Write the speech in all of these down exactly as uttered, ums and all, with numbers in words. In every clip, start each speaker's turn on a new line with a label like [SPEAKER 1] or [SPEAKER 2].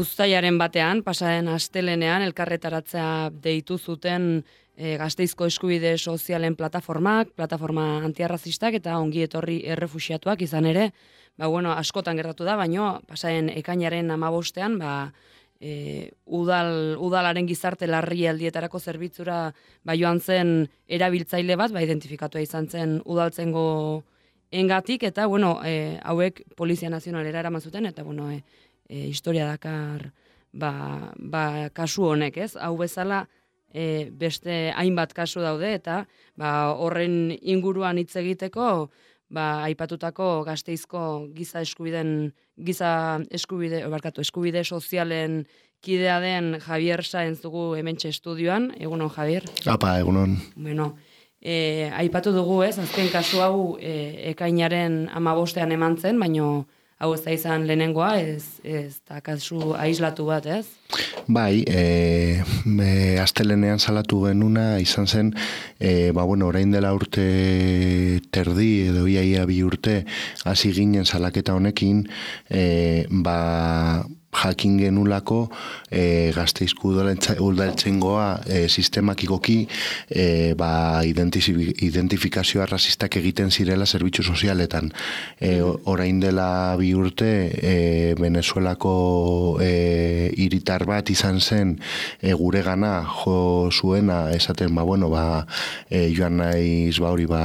[SPEAKER 1] Uztailaren batean, pasaren astelenean, elkarretaratzea deitu zuten e, Gasteizko eskubide sozialen plataformak, plataforma antiarrazistak eta ongi etorri errefuxiatuak izan ere, ba, bueno, askotan gertatu da, baino pasaren ekainaren hamabostean, ba, e, udal, udalaren gizarte larrialdietarako zerbitzura ba, joan zen erabiltzaile bat, ba, identifikatua izan zen udaltzengo engatik, eta bueno, e, hauek Polizia Nazionalera eraman zuten, eta bueno, e, E, historia dakar ba, ba, kasu honek, ez? Hau bezala e, beste hainbat kasu daude eta ba, horren inguruan hitz egiteko ba, aipatutako Gasteizko giza eskubiden giza eskubide, barkatu, eskubide sozialen kidea den Javier Saenz dugu hementxe estudioan. Egunon, Javier?
[SPEAKER 2] Apa, egunon.
[SPEAKER 1] Bueno, e, aipatu dugu, ez? Azken kasu hau e, ekainaren hamabostean eman zen, baino hau ez da izan lehenengoa, ez, ez da kasu aislatu bat, ez?
[SPEAKER 2] Bai, e, e, astelenean salatu genuna izan zen, e, ba, bueno, orain dela urte terdi, edo iaia bi urte, hasi ginen salaketa honekin, e, ba, jakin genulako e, Gasteizko udaltzaingoa e, sistemakikoki e, ba, identifikazio arrazistak egiten zirela zerbitzu sozialetan. E, orain dela bi urte e, Venezuelako e, hiritar bat izan zen e, gure gana jo zuena esaten, ba, bueno, ba, e, joan naiz ba hori ba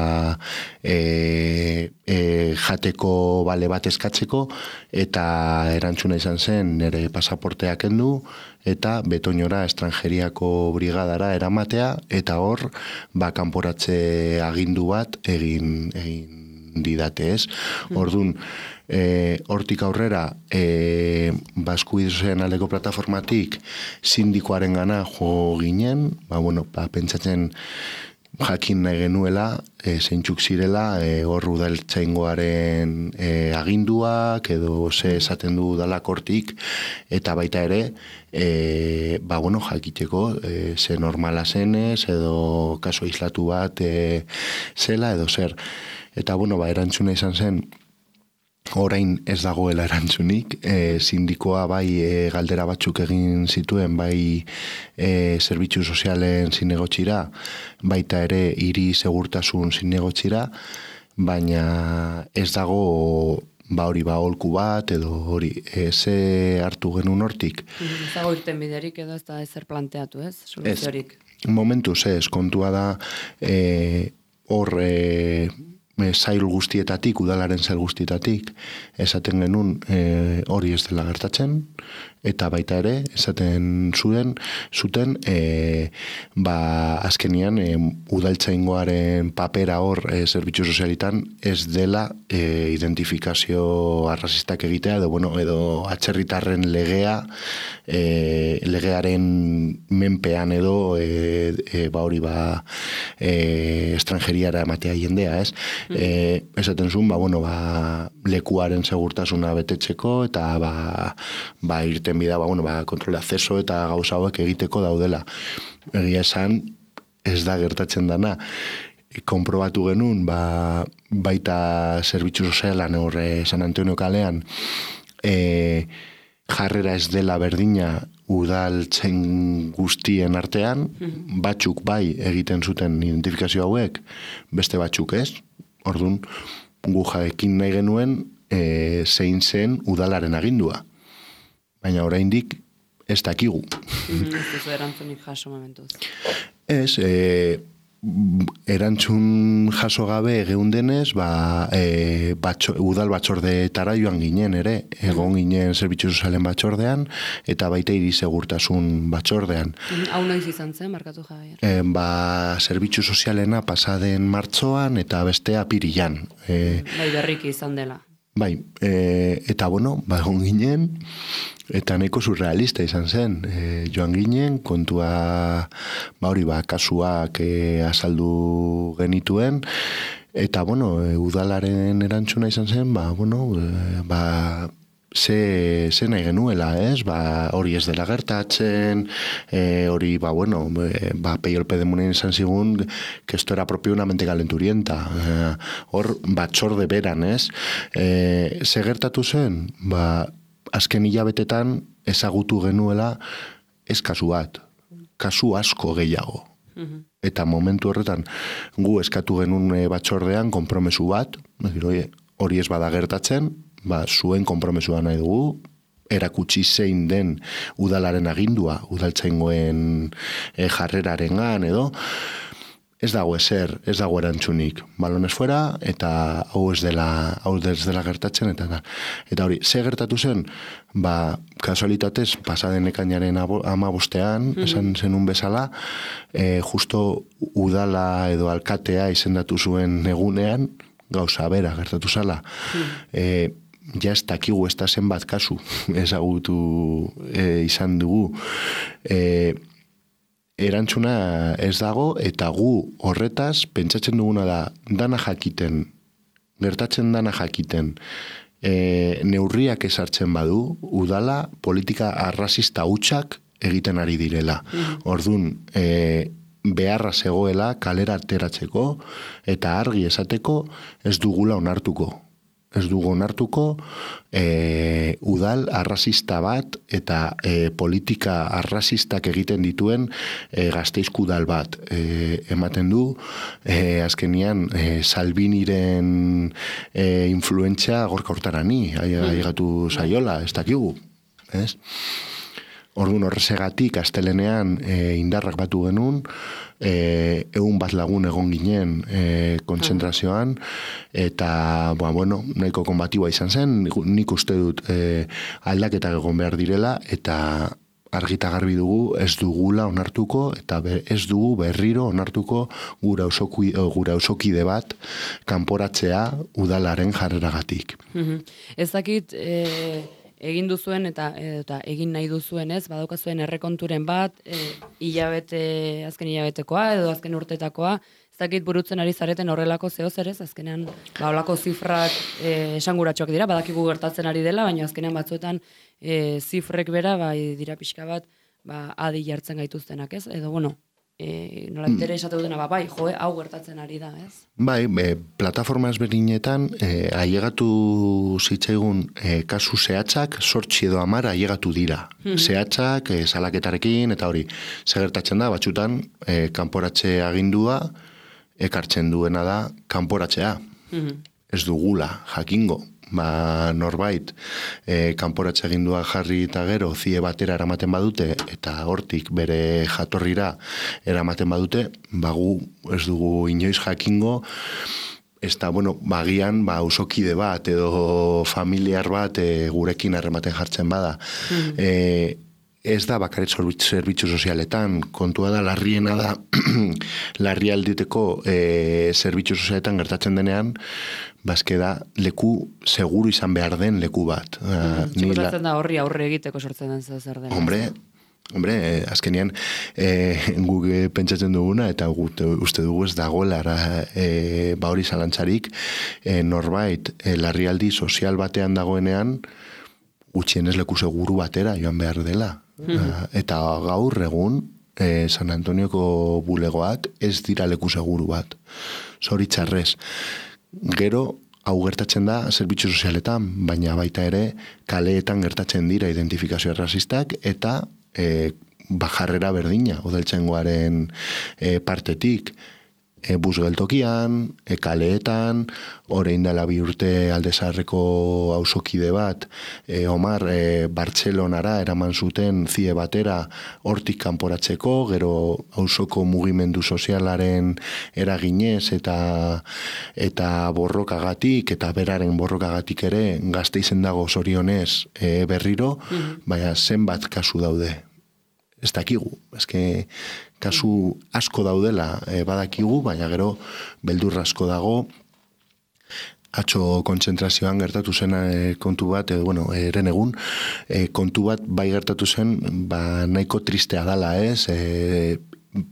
[SPEAKER 2] e, e, jateko bale bat eskatzeko, eta erantzuna izan zen nire pasaportea kendu eta Betoñora estrangeriako brigadara eramatea, eta hor ba kanporatze agindu bat egin egin didate, ez? Ordun, e, hortik aurrera e, Eskubideen aldeko plataformatik sindikoaren gana jo ginen, ba bueno, ba pentsatzen jakin nahi genuela, e, zeintzuk zirela, e, hor udaltzaingoaren e, aginduak, edo ze esaten du dalakortik, eta baita ere, e, ba, bueno, jakiteko, e, ze normala zenez, edo kaso aislatu bat e, zela, edo zer. Eta, bueno, ba, erantzuna izan zen, orain ez dagoela erantzunik, e, sindikoa bai e, galdera batzuk egin zituen, bai e, zerbitzu sozialen zinegotxira, baita ere hiri segurtasun zinegotxira, baina ez dago ba hori ba holku bat, edo hori, e, ze hartu genuen hortik.
[SPEAKER 1] Ez dago irten biderik edo ez da ezer planteatu, ez? Soluziorik.
[SPEAKER 2] Momentuz ez, kontua da e, hor e, zail guztietatik, udalaren zail guztietatik, esaten genuen e, hori ez dela gertatzen, eta baita ere, esaten zuen, zuten, e, ba, azkenian, e, udaltzaingoaren papera hor e, zerbitzu sozialitan ez dela e, identifikazio arrazistak egitea, edo, bueno, edo atzerritarren legea, e, legearen menpean edo, e, e, ba hori, ba, e, estrangeriara ematea jendea, ez? E, esaten zuen, ba, bueno, ba, lekuaren segurtasuna betetzeko, eta ba, ba irten bida, ba, bueno, ba, kontrol acceso eta gauza hauek egiteko daudela. Egia esan, ez da gertatzen dana. Konprobatu genuen, ba, baita zerbitzu sozialan horre San Antonio kalean, e, jarrera ez dela berdina udaltzen guztien artean, batzuk bai egiten zuten identifikazio hauek, beste batzuk ez. Orduan, gu jaekin nahi genuen e, zein zen udalaren agindua. Baina oraindik ez dakigu.
[SPEAKER 1] Ez duzu erantzunik jaso momentuz.
[SPEAKER 2] Ez, e, erantzun jaso gabe geundenez, ba, e, batxo, udal batzordeetara joan ginen ere, egon ginen zerbitzu sozialen batzordean, eta baita hiri segurtasun batzordean.
[SPEAKER 1] Hau noiz izan zen, markatu Javier?
[SPEAKER 2] E, ba, zerbitzu sozialena pasaden martxoan eta bestea apirilan. E,
[SPEAKER 1] bai, berriki izan dela.
[SPEAKER 2] Bai, e, eta bueno, ba, egon ginen, eta nahiko surrealista izan zen. E, joan ginen, kontua, ba hori, ba, kasuak e, azaldu genituen, Eta, bueno, e, udalaren erantzuna izan zen, ba, bueno, e, ba, ze, ze nahi genuela, ez? Ba, hori ez dela gertatzen, e, hori, ba, bueno, e, ba, peiolpe demunen izan zigun, que esto era propio una mente calenturienta. E, hor, batzorde beran, ez? E, ze gertatu zen? Ba, azken hilabetetan ezagutu genuela ez kasu bat, kasu asko gehiago. Eta momentu horretan gu eskatu genuen batzordean konpromesu bat, hori ez bada gertatzen, ba, zuen konpromesua nahi dugu, erakutsi zein den udalaren agindua, udaltzaingoen e, jarrerarengan edo, ez dago ezer, ez dago erantzunik, balones fuera, eta hau ez dela, hau ez dela gertatzen, eta da. Eta hori, ze gertatu zen, ba, kasualitatez, pasaden ekainaren amabostean, mm-hmm. esan zenun bezala, e, justo udala edo alkatea izendatu zuen egunean, gauza bera gertatu zala. Mm. E, ja ez dakigu ez da zenbat kasu ezagutu e, izan dugu. E, erantzuna ez dago, eta gu horretaz pentsatzen duguna da dana jakiten, gertatzen dana jakiten, e, neurriak ezartzen badu, udala politika arrazista hutsak egiten ari direla. Mm. Orduan, e, beharra zegoela kalera ateratzeko eta argi esateko ez dugula onartuko. Ez dugu onartuko e, udal arrazista bat eta e, politika arrazistak egiten dituen e, Gasteizko udal bat. E, ematen du, e, azkenian e, Salviniren e, influentzia gorka hortarani, aigatu zaiola, ez dakigu. Ez? Orduan horrezegatik astelenean e, indarrak batu genuen, e, egun bat lagun egon ginen e, kontzentrazioan, eta ba, bueno, nahiko konbatiua izan zen, nik uste dut e, aldaketak egon behar direla, eta argita garbi dugu ez dugula onartuko, eta be, ez dugu berriro onartuko gura osoki, gura osokide bat kanporatzea udalaren jarreragatik.
[SPEAKER 1] Mm-hmm. Ez dakit... E... egin duzuen eta, eta egin nahi duzuen, ez? Badaukazuen errekonturen bat, e, hilabete, azken hilabetekoa edo azken urtetakoa, ez dakit burutzen ari zareten horrelako zehoz ere, azkenean ba holako zifrak e, esanguratsuak dira, badakigu gertatzen ari dela, baina azkenean batzuetan e, zifrek bera bai dira pixka bat, ba adi jartzen gaituztenak, ez? Edo bueno, E, nola bere esate dutena, ba, bai, joe, hau gertatzen ari da, ez?
[SPEAKER 2] Bai, e, plataforma ezberdinetan e, ailegatu zitzaigun e, kasu zehatzak, sortzi edo amar ailegatu dira. Mm-hmm. Zehatzak, e, salaketarekin, eta hori, segertatzen da, batxutan, e, kanporatze agindua, ekartzen duena da, kanporatzea. Mm-hmm. Ez dugula, jakingo. Ba, norbait e, kanporatze agindua jarri eta gero zie batera eramaten badute eta hortik bere jatorrira eramaten badute, bagu ez dugu inoiz jakingo, ez da, bueno, bagian ba, usokide bat edo familiar bat e, gurekin harrematen jartzen bada. Mm-hmm. e, Ez da bakaret zerbitzu sozialetan, kontua da larriena da larrialditeko e, zerbitzu sozialetan gertatzen denean, bazke da leku seguru izan behar den leku bat.
[SPEAKER 1] Mm, Txikotatzen la... da horri aurre egiteko sortzen den zer den.
[SPEAKER 2] Hombre, hombre, eh, azkenean eh, guk pentsatzen duguna eta gut, uste dugu ez dagoela eh, ba hori zalantzarik eh, norbait eh, larrialdi sozial batean dagoenean gutxienez leku seguru batera joan behar dela. Mm-hmm. Eta gaur egun eh, San Antonioko bulegoak ez dira leku seguru bat. Zoritxarrez. Gero, hau gertatzen da zerbitzu sozialetan, baina baita ere kaleetan gertatzen dira identifikazio arrazistak eta e, bajarrera berdina, udaltzaingoaren e, partetik. E, bus geltokian, e, kaleetan, orain dela bi urte Aldezarreko auzokide bat, e, Omar, e, Bartzelonara eraman zuten zie batera hortik kanporatzeko, gero auzoko mugimendu sozialaren eraginez eta eta borrokagatik, eta beraren borrokagatik ere Gasteizen dago zorionez e, berriro, mm-hmm. baina zenbat kasu daude. Ez dakigu, ezke kasu asko daudela e, badakigu, baina gero beldur asko dago. Atzo kontzentrazioan gertatu zen e, kontu bat, e, bueno, eren egun, e, kontu bat bai gertatu zen, ba nahiko tristea dala, ez? E,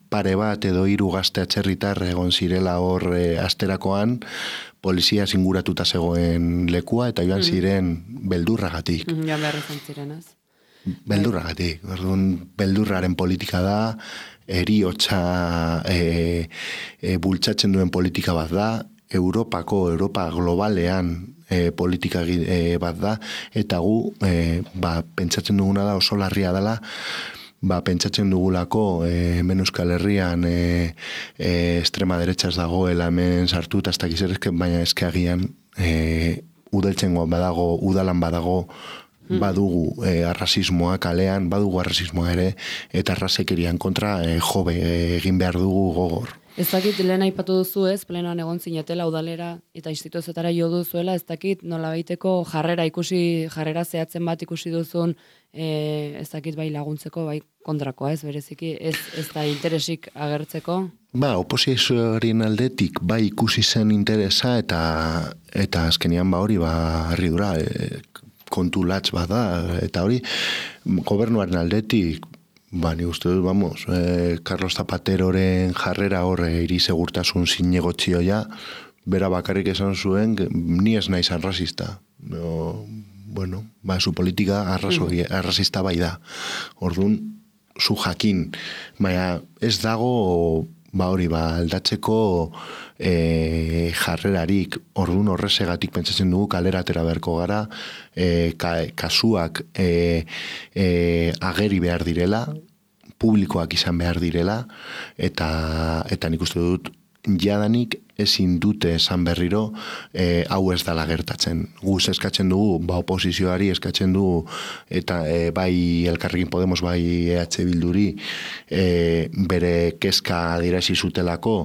[SPEAKER 2] pare bat edo hiru gazte atzerritar egon zirela hor e, asterakoan, polizia zinguratuta zegoen lekua eta joan ziren beldurragatik.
[SPEAKER 1] Mm, joan behar izan ziren, ez?
[SPEAKER 2] Beldurragatik. Orduan, beldurraren politika da, heriotza e, e, bultzatzen duen politika bat da, Europako, Europa globalean e, politika e, bat da, eta gu e, ba, pentsatzen duguna da oso larria dela, ba, pentsatzen dugulako e, hemen Euskal Herrian e, e, estrema derecha ez dagoela hemen sartu, eta ez dakiz ere, baina eskeagian e, udeltzengoan badago, udalan badago, badugu e, arrasismoa kalean, badugu arrasismoa ere, eta arrazekerian kontra e, jobe e, egin behar dugu gogor.
[SPEAKER 1] Ez dakit, lehen aipatu duzu ez, plenoan egon zinetela udalera eta instituzioetara jo duzuela, ez dakit nola baiteko jarrera ikusi, jarrera zehatzen bat ikusi duzun, e, ez dakit bai laguntzeko, bai kontrakoa ez, bereziki, ez, ez da interesik agertzeko?
[SPEAKER 2] Ba, oposizioaren aldetik bai ikusi zen interesa eta eta azkenian ba hori ba harridura e, kontu latz bat da, eta hori gobernuaren aldetik, ba, ni uste dut, vamos, eh, Carlos Zapateroren jarrera horre iri segurtasun zinegotzioa, bera bakarrik esan zuen, ni ez naiz arrasista. No, bueno, ba, su politika arraso, mm. arrasista bai da. Orduan, zu jakin, baina ez dago, ba hori, ba, aldatzeko e, jarrerarik, orduan horrezegatik pentsatzen dugu kalera atera beharko gara, e, ka, kasuak e, e, ageri behar direla, publikoak izan behar direla, eta, eta nik uste dut, jadanik ezin dute esan berriro e, hau ez dela gertatzen. Guz eskatzen dugu, ba oposizioari eskatzen dugu, eta e, bai Elkarrekin Podemos, bai E H Bilduri, e, bere kezka adierazi zutelako,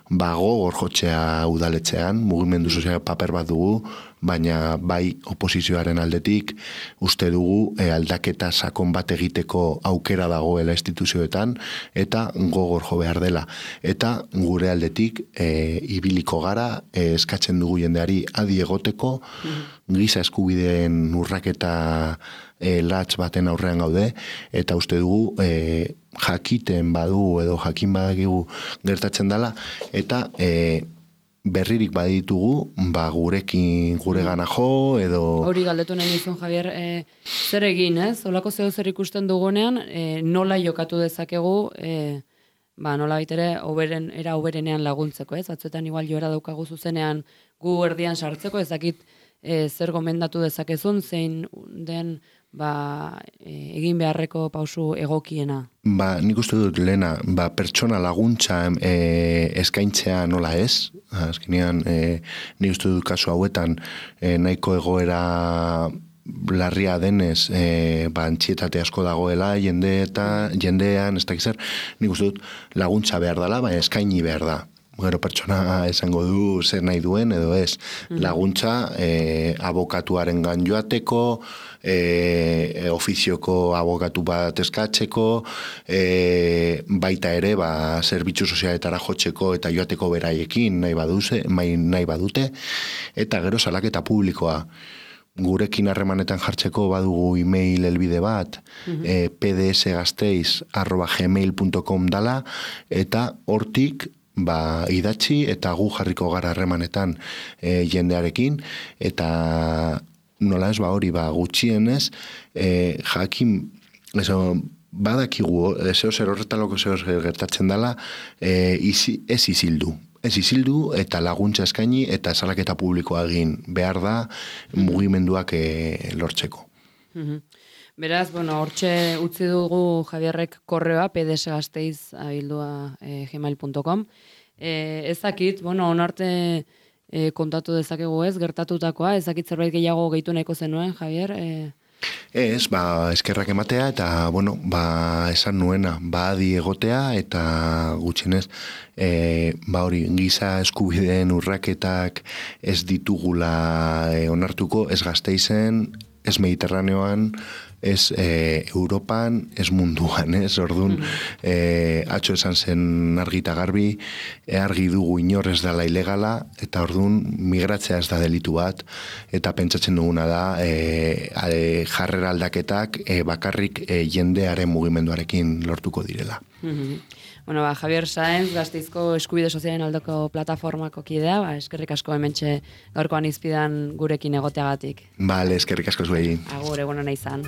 [SPEAKER 2] ba gogor jotzea udaletxean, mugimendu sozial paper bat dugu, baina bai oposizioaren aldetik uste dugu e, aldaketa sakon bat egiteko aukera dagoela instituzioetan, eta gogor jo behar dela. Eta gure aldetik e, ibiliko gara, e, eskatzen dugu jendeari adi egoteko, mm-hmm. giza eskubideen urraketa e, latz baten aurrean gaude, eta uste dugu e, jakiten badu edo jakin badakigu gertatzen dela, eta e, berririk baditugu, ba gurekin gure gana jo, edo...
[SPEAKER 1] Hori galdetu nahi nizun, Javier, e, zer egin, ez? Olako zeo zer ikusten dugunean, e, nola jokatu dezakegu, e, ba, nola baitere, oberen, era oberenean laguntzeko, ez? Batzuetan igual joera daukagu zuzenean gu erdian sartzeko, ez dakit e, zer gomendatu dezakezun, zein den ba, e, egin beharreko pausu egokiena.
[SPEAKER 2] Ba, nik uste dut lehena, ba, pertsona laguntza e, eskaintzea nola ez, azkenean e, nik uste dut kasu hauetan e, nahiko egoera larria denez, e, ba, antxietate asko dagoela, jende eta jendean, ez dakiz zer, nik uste dut laguntza behar dela, baina eskaini behar da. Gero pertsona esango du zer nahi duen edo ez. Laguntza e, abokatuaren gan joateko, e, ofizioko abokatu bat eskatzeko, e, baita ere ba, zerbitzu sozialetara jotzeko eta joateko beraiekin nahi, baduze, nahi badute, eta gero salaketa publikoa. Gurekin harremanetan jartzeko badugu e-mail helbide bat, uh-huh. e, pdsgasteiz arroba gmail punto com dala, eta hortik ba, idatzi eta gu jarriko gara harremanetan e, jendearekin, eta nola ez ba hori ba, gutxienez, e, jakin, eso, badakigu, zeo zer horretan loko zeo zer gertatzen dela, e, izi, ez izildu. Ez izildu eta laguntza eskaini eta salaketa publikoa egin behar da mugimenduak e, lortzeko.
[SPEAKER 1] Uh-huh. Beraz, bueno, hortxe utzi dugu Javierrek korreoa, pdsgasteiz abildua e, gmail punto com. E, ez dakit, bueno, onarte e, kontatu dezakegu ez, gertatutakoa, ez dakit zerbait gehiago gehitu nahiko zenuen, Javier? E...
[SPEAKER 2] Ez, ba, eskerrak ematea eta, bueno, ba, esan nuena, ba, adi egotea eta gutxienez, e, ba, hori, giza eskubideen urraketak ez ditugula e, onartuko, ez Gasteizen, ez Mediterraneoan, ez e, Europan, ez munduan, ez, orduan, e, atxo esan zen argita garbi, e, argi dugu inor ez dela ilegala, eta orduan migratzea ez da delitu bat, eta pentsatzen duguna da, e, e, jarrera aldaketak e, bakarrik e, jendearen mugimenduarekin lortuko direla.
[SPEAKER 1] Mm-hmm. Bueno, ba, Javier Sáenz, Gasteizko eskubide sozialen aldoko plataformako kidea, ba, eskerrik asko hementxe gaurkoan izpidan gurekin egoteagatik.
[SPEAKER 2] Bale, eskerrik asko zuei.
[SPEAKER 1] Agur, egon hona izan.